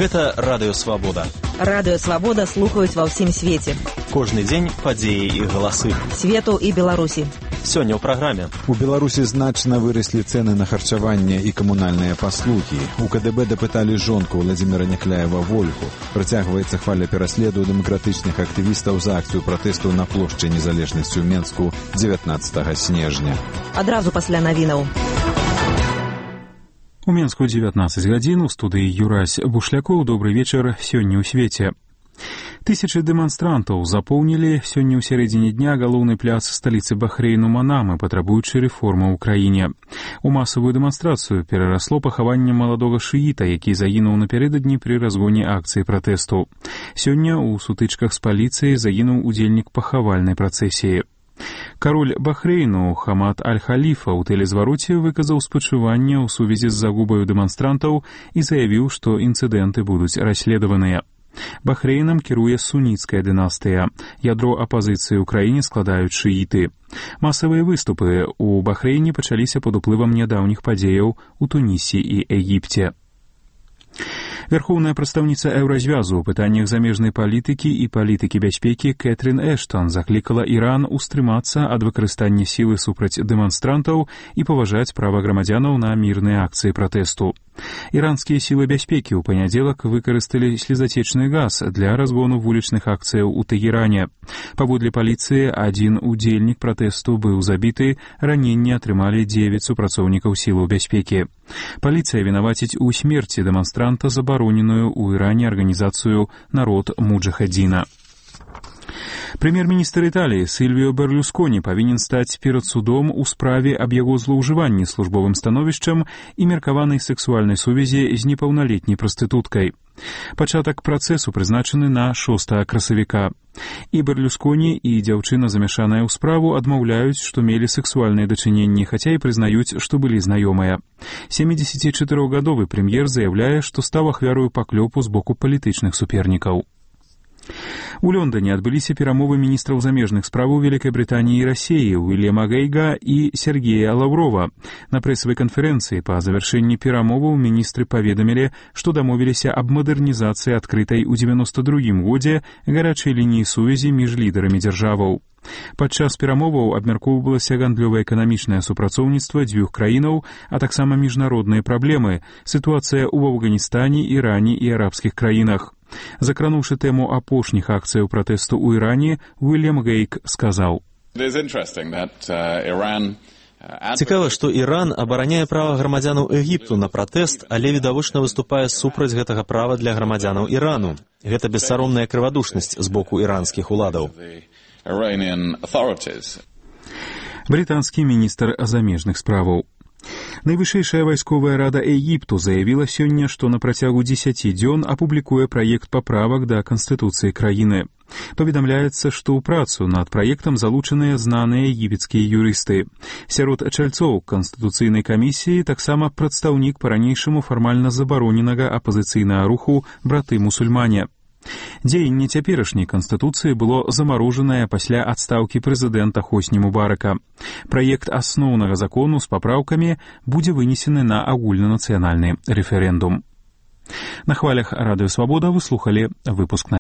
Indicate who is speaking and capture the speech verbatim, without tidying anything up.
Speaker 1: Гэта Радыё Свабода.
Speaker 2: Радыё Свабода слухаюць ва ўсім свеце.
Speaker 1: Кожны дзень падзеі і галасы.
Speaker 2: Свету і Беларусі.
Speaker 1: Сёння ў праграме.
Speaker 3: У Беларусі значна выраслі цэны на харчаванне і камунальныя паслугі. У КДБ дапыталі жонку Владзіміра Някляева-Вольху. Працягваецца хваля пераследу дэмакратычных актывістаў за акцыю пратэсту на плошчы Незалежнасці ў Менску дзевятнаццатага снежня.
Speaker 2: Адразу пасля навінаў.
Speaker 4: У Менску дзевятнаццаць гадзін, у студыі Юрась Бушлякоў. Добрый вечар. Сёння ў свеце. Тысячы дэманстрантаў запоўнілі сёння ў сярэдзіне дня галоўны пляц сталіцы Бахрэйну Манамы, патрабуючы рэформы ў краіне. У масавую дэманстрацыю перарасло пахаванне маладога шыіта, які загінуў напярэдадні пры разгоне акцыі пратэсту. Сёння ў сутычках з паліцыяй загінуў удзельнік пахавальнай працэсіі. Кароль Бахрэйну Хамад Аль-Халіфа ў тэлезвароце выказаў спачуванне ў сувязі з загубаю дэманстрантаў і заявіў, што інцыдэнты будуць расследаваныя. Бахрэйнам кіруе суніцкая дынастыя. Ядро апазіцыі ў краіне складаюць шыіты. Масавыя выступы ў Бахрэйне пачаліся пад уплывам нядаўніх падзеяў у Тунісі і Егіпце. Вярхоўная прадстаўніца Еўразвязу ў пытаннях замежнай палітыкі і палітыкі бяспекі Кэтрин Эштон заклікала Іран устрымацца ад выкарыстання сілы супраць дэманстрантаў і паважаць права грамадзянаў на мірныя акцыі пратэсту. Іранскія сілы бяспекі ў панядзелак выкарысталі слезацечны газ для разгону вулічных акцыяў у Тэгеране. Паводле паліцыі, адзін удзельнік пратэсту быў забіты, раненні атрымалі дзевяць супрацоўнікаў сілаў бяспекі. Паліцыя вінаваціць у смерці дэманстранта забароненую ў Іране арганізацыю «Народ Муджахадзіна». Прэм'ер-міністр Італіі Сільвіо Берлюсконі павінен стаць перад судом у справе аб яго злоўжыванні службовым становішчам і меркаванай сэксуальнай сувязі з непаўналетняй прастытуткай. Пачатак працэсу прызначаны на шостага красавіка. І Берлюсконі, і дзяўчына, замяшаная ў справу, адмаўляюць, што мелі сэксуальныя дачыненні, хаця і прызнаюць, што былі знаёмыя. сямідзесяцічатырохгадовы прэм'ер заяўляе, што стаў ахвярою паклёпу з боку палітычных супернікаў. У Лондоне адбыліся перамовы міністраў замежных справаў Вялікай Брытаніі і Расіі Уильяма Гейга і Сергея Лаўрова. На прэсавай канферэнцыі па завяршэнні перамоваў міністры паведамілі, што дамовіліся аб мадэрнізацыі адкрытай у дзевяноста другім годзе гарачай лініі сувязі між лідарамі дзяржаваў. Падчас перамоваў абмяркоўвалася гандлёва-эканамічнае супрацоўніцтва дзвюх краінаў, а таксама міжнародныя праблемы, сітуацыя ў Афганістане, Іране і арабскіх краінах. Закрануўшы тэму апошніх акцыяў пратэсту ў Іране, Уильям Гейг сказаў:
Speaker 1: «Цікава, што Іран абараняе права грамадзянаў Егіпту на пратэст, але відавочна выступае супраць гэтага права для грамадзянаў Ірану. Гэта бессаромная крывадушнасць з боку іранскіх уладаў».
Speaker 4: Брытанскі міністр замежных справаў. Найвышэйшая вайсковая рада Егіпту заявіла сёння, што на працягу дзесяці дзён апублікуе праект паправак да канстытуцыі краіны. Паведамляецца, што ў працу над праектам залучаныя знаныя егіпецкія юрысты. Сярод чальцоў канстытуцыйнай камісіі таксама прадстаўнік па-ранейшаму фармальна забароненага апазіцыйнага руху браты-мусульмане. Дзеянне цяперашняй канстытуцыі было замарожанае пасля адстаўкі прэзідэнта Хосні Мубарака. Праект асноўнага закону з папраўкамі будзе вынесены на агульнанацыянальны рэферэндум. На хвалях Радыё Свабода вы слухалі выпуск